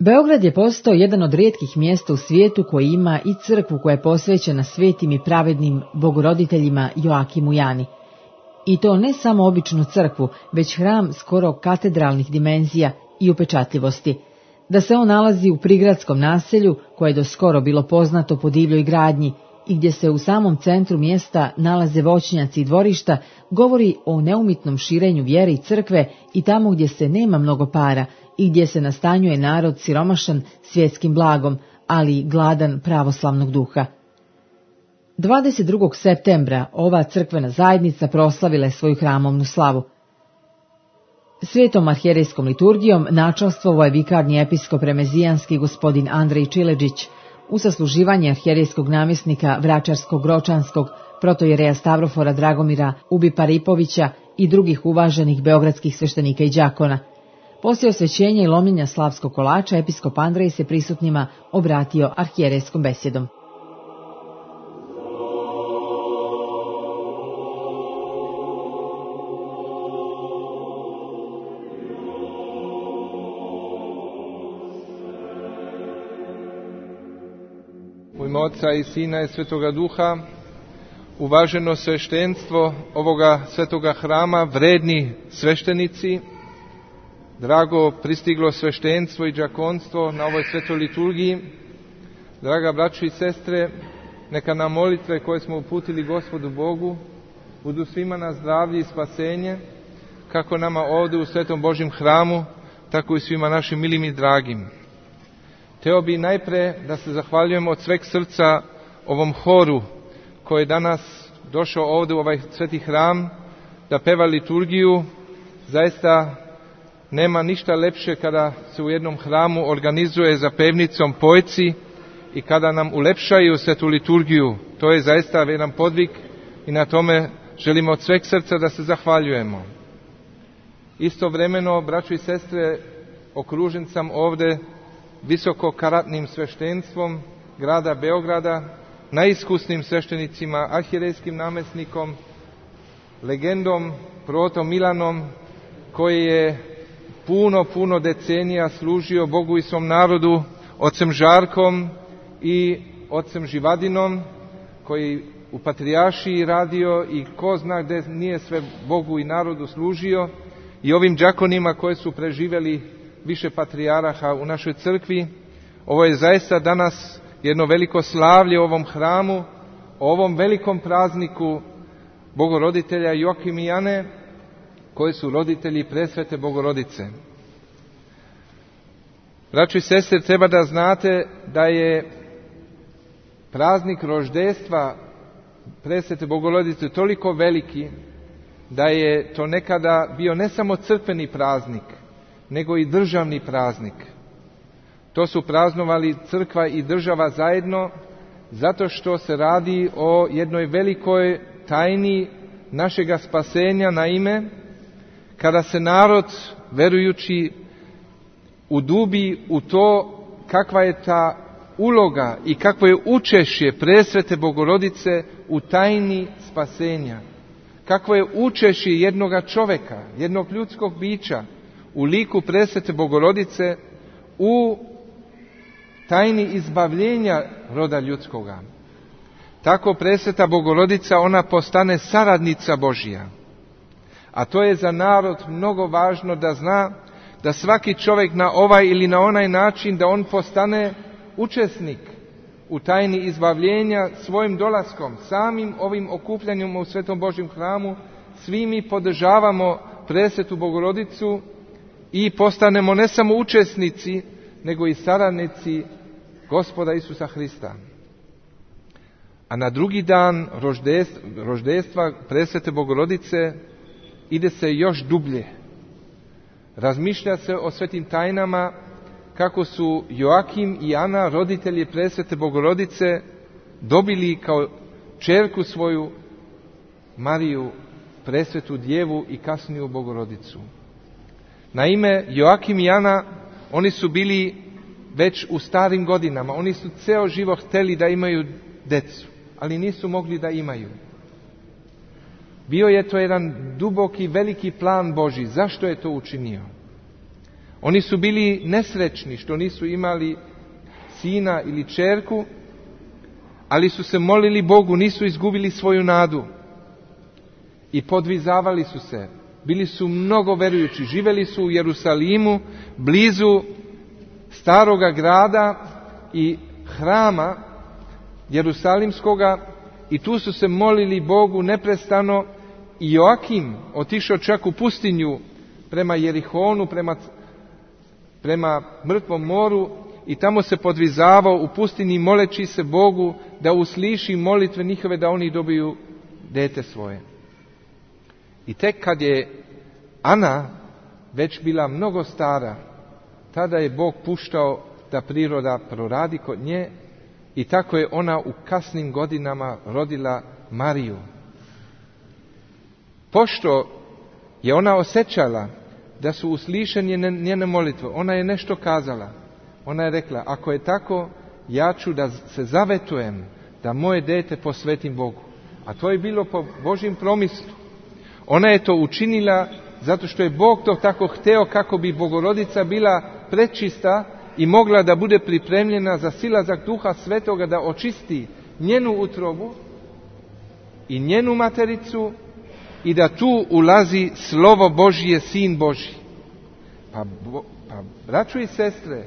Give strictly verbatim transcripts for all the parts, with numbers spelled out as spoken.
Beograd je postao jedan od rijetkih mjesta u svijetu koji ima i crkvu koja je posvećena svetim i pravednim bogoroditeljima Joakimu i Ani. I to ne samo običnu crkvu, već hram skoro katedralnih dimenzija i upečatljivosti. Da se on nalazi u prigradskom naselju, koje je do skoro bilo poznato po divljoj gradnji, i gdje se u samom centru mjesta nalaze voćnjaci i dvorišta, govori o neumitnom širenju vjere i crkve i tamo gdje se nema mnogo para i gdje se nastanjuje narod siromašan svjetskim blagom, ali gladan pravoslavnog duha. dvadeset drugog septembra ova crkvena zajednica proslavila je svoju hramovnu slavu. Svetom arhijerejskom liturgijom načastvovao je vikarni episkop remezijanski gospodin Andrej Čileđić, u sasluživanje arhijerejskog namjesnika Vračarsko-Gročanskog, protojereja Stavrofora Dragomira Ubi-Paripovića i drugih uvaženih beogradskih sveštenika i đakona. Poslije osvećenja i lomljenja slavskog kolača, episkop Andrej se prisutnima obratio arhijerejskom besjedom. U ime Oca i Sina i Svetoga Duha, uvaženo sveštenstvo ovoga svetoga hrama, vredni sveštenici, drago pristiglo sveštenstvo i đakonstvo na ovoj svetoj liturgiji, draga braćo i sestre, neka nam molitve koje smo uputili Gospodu Bogu budu svima na zdravlje i spasenje, kako nama ovdje u svetom Božjem hramu, tako i svima našim milim i dragim. Hteo bi najpre da se zahvaljujem od sveg srca ovom horu koji je danas došao ovdje u ovaj sveti hram da peva liturgiju. Zaista nema ništa lepše kada se u jednom hramu organizuje za pevnicom pojci i kada nam ulepšaju svetu liturgiju. To je zaista jedan podvig i na tome želimo od sveg srca da se zahvaljujemo. Istovremeno, braćo i sestre, okružen sam ovdje visokokaratnim sveštenstvom grada Beograda, najiskusnim sveštenicima, arhijerejskim namjesnikom, legendom, protom Milanom, koji je puno, puno decenija služio Bogu i svom narodu, ocem Žarkom i ocem Živadinom, koji u Patrijaršiji radio i ko zna gdje nije sve Bogu i narodu služio, i ovim đakonima koji su preživjeli više patrijaraha u našoj crkvi. Ovo je zaista danas jedno veliko slavlje u ovom hramu, o ovom velikom prazniku Bogoroditelja Joakim i Ane, koji su roditelji presvete Bogorodice. Braćo i sestre, treba da znate da je praznik roždestva presvete Bogorodice toliko veliki da je to nekada bio ne samo crkveni praznik, nego i državni praznik. To su praznovali crkva i država zajedno, zato što se radi o jednoj velikoj tajni našega spasenja. Naime, kada se narod, verujući, udubi u to kakva je ta uloga i kakvo je učešće presvete Bogorodice u tajni spasenja, kakvo je učešće jednoga čoveka, jednog ljudskog bića u liku presvete Bogorodice u tajni izbavljenja roda ljudskoga. Tako presveta Bogorodica, ona postane saradnica Božja. A to je za narod mnogo važno da zna da svaki čovjek na ovaj ili na onaj način da on postane učesnik u tajni izbavljenja svojim dolaskom, samim ovim okupljanjem u svetom Božjem hramu. Svi mi podržavamo presvetu Bogorodicu i postanemo ne samo učesnici, nego i saradnici Gospoda Isusa Hrista. A na drugi dan roždestva presvete Bogorodice ide se još dublje. Razmišlja se o svetim tajnama, kako su Joakim i Ana, roditelji presvete Bogorodice, dobili kao ćerku svoju Mariju, presvetu djevu i kasniju Bogorodicu. Naime, Joakim i Ana, oni su bili već u starim godinama, oni su ceo život hteli da imaju decu, ali nisu mogli da imaju. Bio je to jedan duboki, veliki plan Božji. Zašto je to učinio? Oni su bili nesrećni što nisu imali sina ili ćerku, ali su se molili Bogu, nisu izgubili svoju nadu i podvizavali su se. Bili su mnogo verujući, živjeli su u Jerusalimu, blizu staroga grada i hrama Jerusalimskoga, i tu su se molili Bogu neprestano. I Joakim otišao čak u pustinju prema Jerihonu, prema, prema Mrtvom moru, i tamo se podvizavao u pustinji moleći se Bogu da usliši molitve njihove, da oni dobiju dete svoje. I tek kad je Ana već bila mnogo stara, tada je Bog puštao da priroda proradi kod nje, i tako je ona u kasnim godinama rodila Mariju. Pošto je ona osjećala da su uslišene njene molitve, ona je nešto kazala. Ona je rekla, ako je tako, ja ću da se zavetujem da moje dete posvetim Bogu. A to je bilo po Božjem promislu. Ona je to učinila zato što je Bog to tako hteo, kako bi Bogorodica bila prečista i mogla da bude pripremljena za silazak Duha Svetoga, da očisti njenu utrobu i njenu matericu, i da tu ulazi Slovo Božje, Sin Božji. Pa, pa braćo i sestre,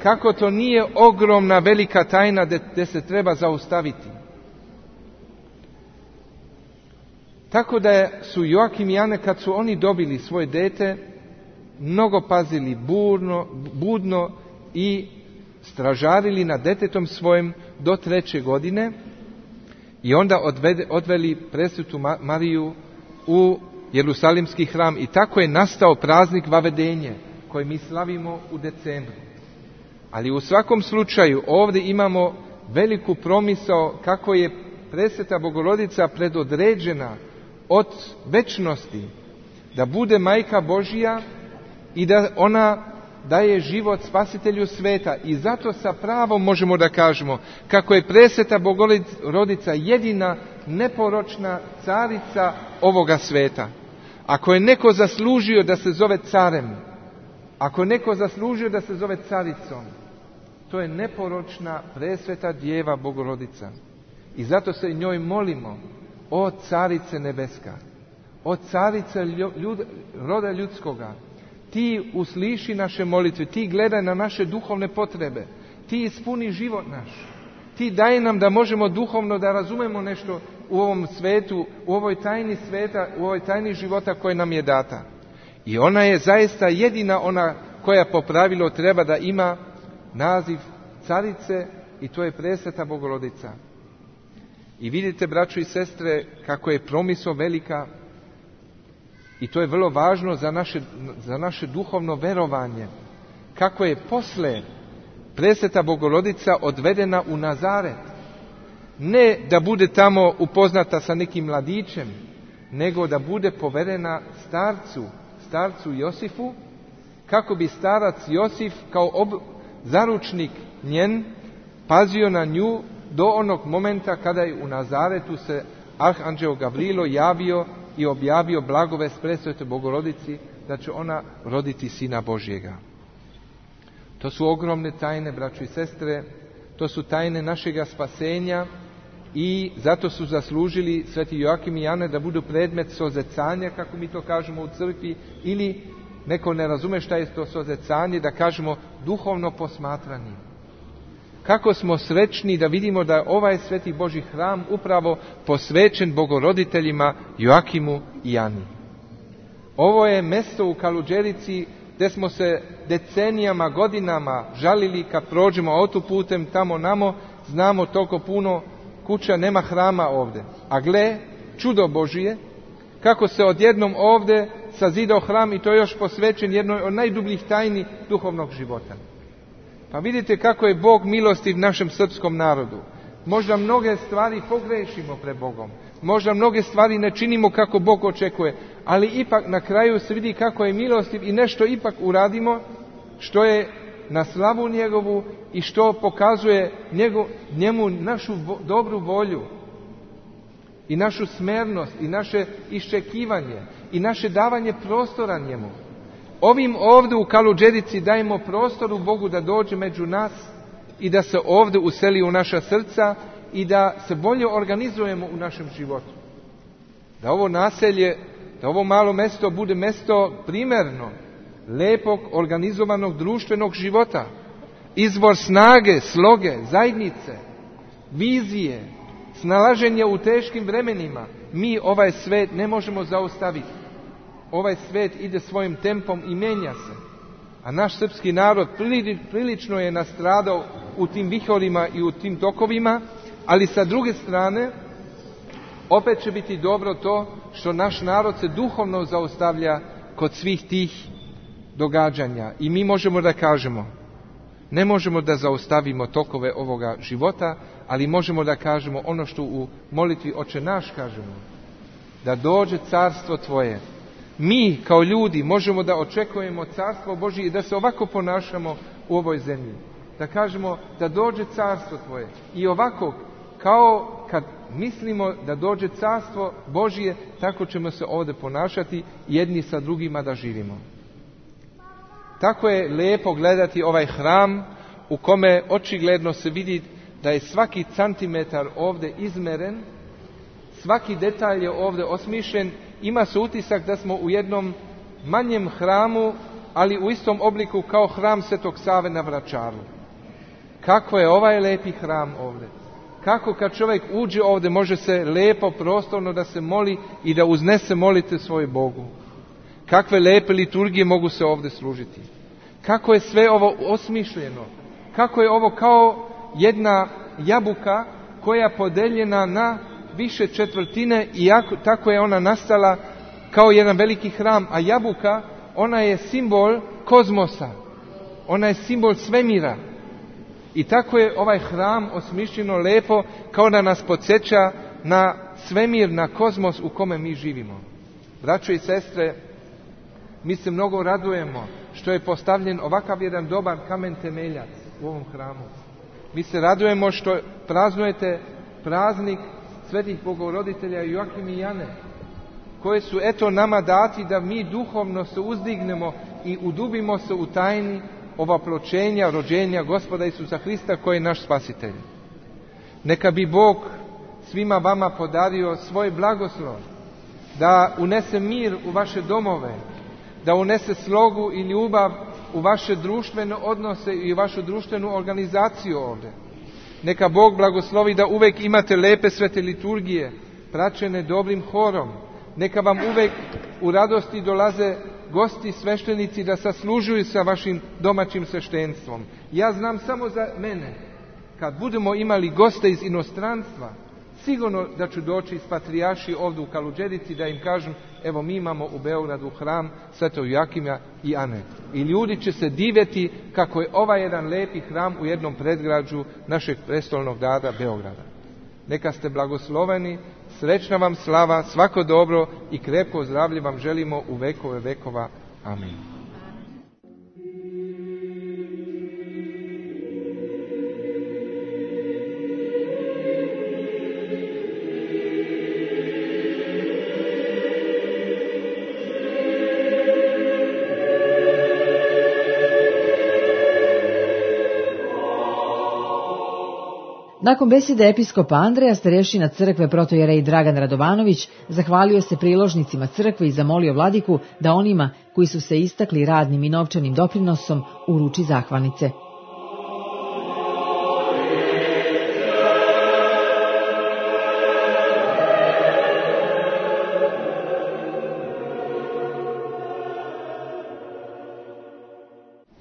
kako to nije ogromna velika tajna gdje se treba zaustaviti. Tako da su Joakim i Ana, kad su oni dobili svoje dete, mnogo pazili burno, budno i stražarili nad detetom svojim do treće godine, i onda odvede, odveli presvetu Mariju u Jerusalimski hram, i tako je nastao praznik Vavedenje koji mi slavimo u decembru. Ali u svakom slučaju ovdje imamo veliku promisao kako je presveta Bogorodica predodređena od večnosti da bude majka Božja i da ona daje život spasitelju sveta. I zato sa pravom možemo da kažemo kako je presveta Bogorodica jedina neporočna carica ovoga sveta. Ako je neko zaslužio da se zove carem, ako je neko zaslužio da se zove caricom, to je neporočna presveta Djeva Bogorodica. I zato se njoj molimo, o carice nebeska, o carice ljud, roda ljudskoga, ti usliši naše molitve, ti gledaj na naše duhovne potrebe, ti ispuni život naš, ti daj nam da možemo duhovno da razumemo nešto u ovom svetu, u ovoj tajni sveta, u ovoj tajni života koja nam je data. I ona je zaista jedina ona koja po pravilu treba da ima naziv carice, i to je presveta Bogorodica. I vidite, braćo i sestre, kako je promisao velika, i to je vrlo važno za naše, za naše duhovno verovanje, kako je posle presveta Bogorodica odvedena u Nazaret. Ne da bude tamo upoznata sa nekim mladićem, nego da bude poverena starcu, starcu Josifu, kako bi starac Josif kao ob, zaručnik njen pazio na nju do onog momenta kada je u Nazaretu se arhanđeo Gavrilo javio i objavio blagovest presvetoj Bogorodici da će ona roditi Sina Božjega. To su ogromne tajne, braćo i sestre, to su tajne našega spasenja, i zato su zaslužili sveti Joakim i Ana da budu predmet sozecanja, kako mi to kažemo u crkvi, ili neko ne razume šta je to sozecanje, da kažemo duhovno posmatranje. Kako smo srećni da vidimo da ovaj sveti Božji hram upravo posvećen Bogoroditeljima Joakimu i Ani. Ovo je mjesto u Kaluđerici gdje smo se decenijama, godinama žalili kad prođemo autoputem tamo namo, znamo toliko puno kuća, nema hrama ovdje. A gle, čudo Božije, kako se odjednom ovdje sazidao hram, i to je još posvećen jednoj od najdubljih tajni duhovnog života. Pa vidite kako je Bog milostiv našem srpskom narodu. Možda mnoge stvari pogrešimo pred Bogom, možda mnoge stvari ne činimo kako Bog očekuje, ali ipak na kraju se vidi kako je milostiv i nešto ipak uradimo što je na slavu njegovu i što pokazuje njegov, njemu našu vo, dobru volju i našu smernost i naše iščekivanje i naše davanje prostora njemu. Ovim ovdje u Kaluđerici dajemo prostoru Bogu da dođe među nas i da se ovdje useli u naša srca i da se bolje organizujemo u našem životu. Da ovo naselje, da ovo malo mjesto bude mjesto primjerno, lijepog, organizovanog društvenog života, izvor snage, sloge, zajednice, vizije, snalaženja u teškim vremenima. Mi ovaj svet ne možemo zaustaviti. Ovaj svet ide svojim tempom i menja se. A naš srpski narod prilično je nastradao u tim vihorima i u tim tokovima, ali sa druge strane opet će biti dobro to što naš narod se duhovno zaustavlja kod svih tih događanja. I mi možemo da kažemo, ne možemo da zaustavimo tokove ovoga života, ali možemo da kažemo ono što u molitvi Oče naš kažemo, da dođe carstvo Tvoje. Mi kao ljudi možemo da očekujemo carstvo Božije i da se ovako ponašamo u ovoj zemlji. Da kažemo da dođe carstvo Tvoje. I ovako, kao kad mislimo da dođe carstvo Božije, tako ćemo se ovdje ponašati jedni sa drugima da živimo. Tako je lijepo gledati ovaj hram u kome očigledno se vidi da je svaki centimetar ovdje izmeren, svaki detalj je ovdje osmišljen. Ima se utisak da smo u jednom manjem hramu, ali u istom obliku kao hram Svetog Save na Vračaru. Kako je ovaj lijepi hram ovdje. Kako kad čovjek uđe ovdje može se lijepo prostorno da se moli i da uznese molite svoje Bogu. Kakve lijepe liturgije mogu se ovdje služiti. Kako je sve ovo osmišljeno. Kako je ovo kao jedna jabuka koja je podeljena na više četvrtine i jako, tako je ona nastala kao jedan veliki hram. A jabuka, ona je simbol kozmosa. Ona je simbol svemira. I tako je ovaj hram osmišljeno lijepo kao da nas podsjeća na svemir, na kozmos u kome mi živimo. Braćo i sestre, mi se mnogo radujemo što je postavljen ovakav jedan dobar kamen temeljac u ovom hramu. Mi se radujemo što praznujete praznik svetih Bogoroditelja Joakim i Jane, koje su eto nama dati da mi duhovno se uzdignemo i udubimo se u tajni ovapločenja, rođenja Gospoda Isusa Hrista koji je naš spasitelj. Neka bi Bog svima vama podario svoj blagoslov, da unese mir u vaše domove, da unese slogu i ljubav u vaše društvene odnose i vašu društvenu organizaciju ovdje. Neka Bog blagoslovi da uvijek imate lepe svete liturgije, praćene dobrim horom. Neka vam uvijek u radosti dolaze gosti, sveštenici da saslužuju sa vašim domaćim sveštenstvom. Ja znam samo za mene, kad budemo imali goste iz inostranstva, sigurno da ću doći iz patrijarši ovdje u Kaluđerici da im kažem, evo mi imamo u Beogradu hram Svetog Joakima i Ane. I ljudi će se divjeti kako je ovaj jedan lijepi hram u jednom predgrađu našeg prestolnog grada Beograda. Neka ste blagosloveni, srećna vam slava, svako dobro i krepko zdravlje vam želimo u vekove vekova. Amin. Nakon besede episkopa Andreja, starješina crkve protojerej Dragan Radovanović zahvalio se priložnicima crkve i zamolio vladiku da onima koji su se istakli radnim i novčanim doprinosom uruči zahvalnice.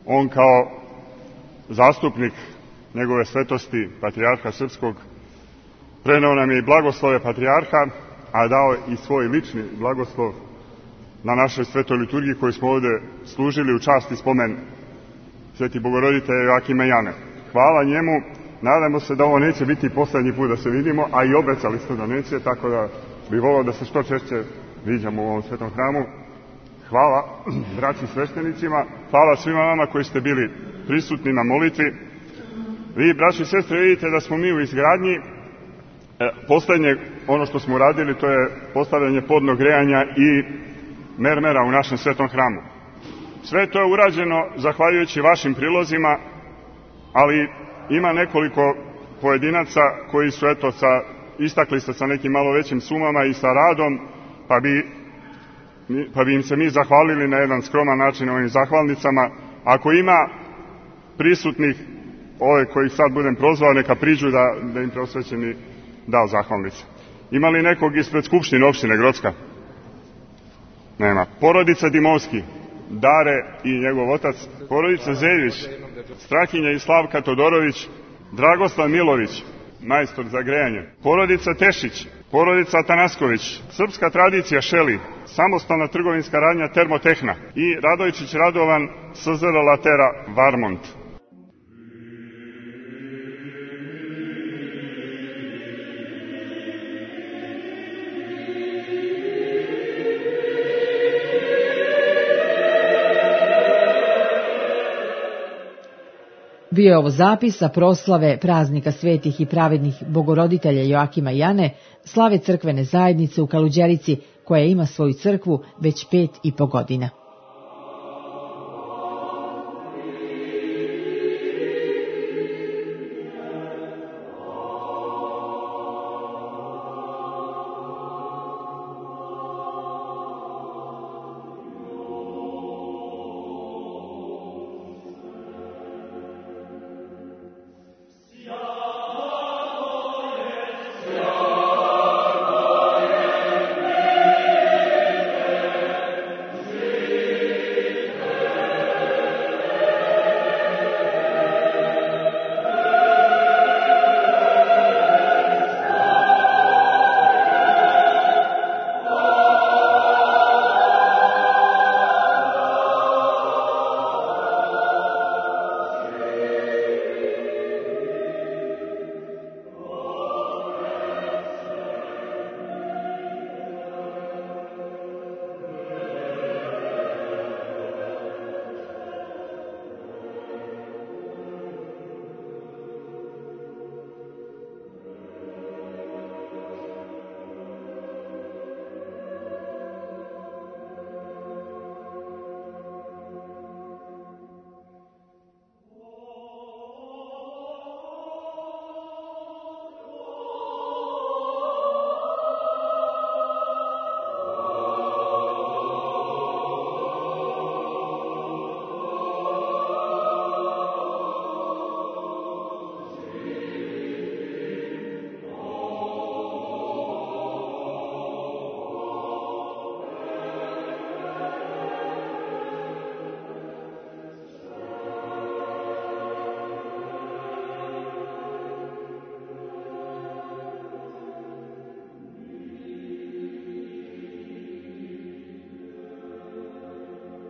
On kao zastupnik njegove svetosti patrijarha srpskog preneo nam je i blagoslove patrijarha, a dao i svoj lični blagoslov na našoj svetoj liturgiji koju smo ovdje služili u čast i spomen Sveti Bogoroditelja Joakima i Jane. Hvala njemu, nadamo se da ovo neće biti posljednji put da se vidimo, a i obecali ste da neće, tako da bi volio da se što češće viđamo u ovom svetom hramu. Hvala braći sveštenicima, hvala svima vama koji ste bili prisutni na molitvi. Vi, braći i sestre, vidite da smo mi u izgradnji. E, posljednje ono što smo uradili, to je postavljanje podnog grejanja i mermera u našem svetom hramu. Sve to je urađeno zahvaljujući vašim prilozima, ali ima nekoliko pojedinaca koji su eto sa, istakli ste sa nekim malo većim sumama i sa radom, pa bi, pa bi im se mi zahvalili na jedan skroman način ovim zahvalnicama. Ako ima prisutnih, ove kojih sad budem prozvao, neka priđu da, da im preosvećeni dao zahvalnice. Ima li nekog ispred Skupštine opštine Grocka? Nema. Porodica Dimovski, Dare i njegov otac, porodica Zeljić, Strahinja i Slavka Todorović, Dragoslav Milović, majstor za grejanje, porodica Tešić, porodica Atanasković, srpska tradicija Šeli, samostalna trgovinska radnja Termotehna i Radojčić Radovan, S Z R Latera Varmont. Bio je ovo zapis sa proslave praznika svetih i pravednih bogoroditelja Joakima i Jane, slave crkvene zajednice u Kaluđerici, koja ima svoju crkvu već pet i po godina.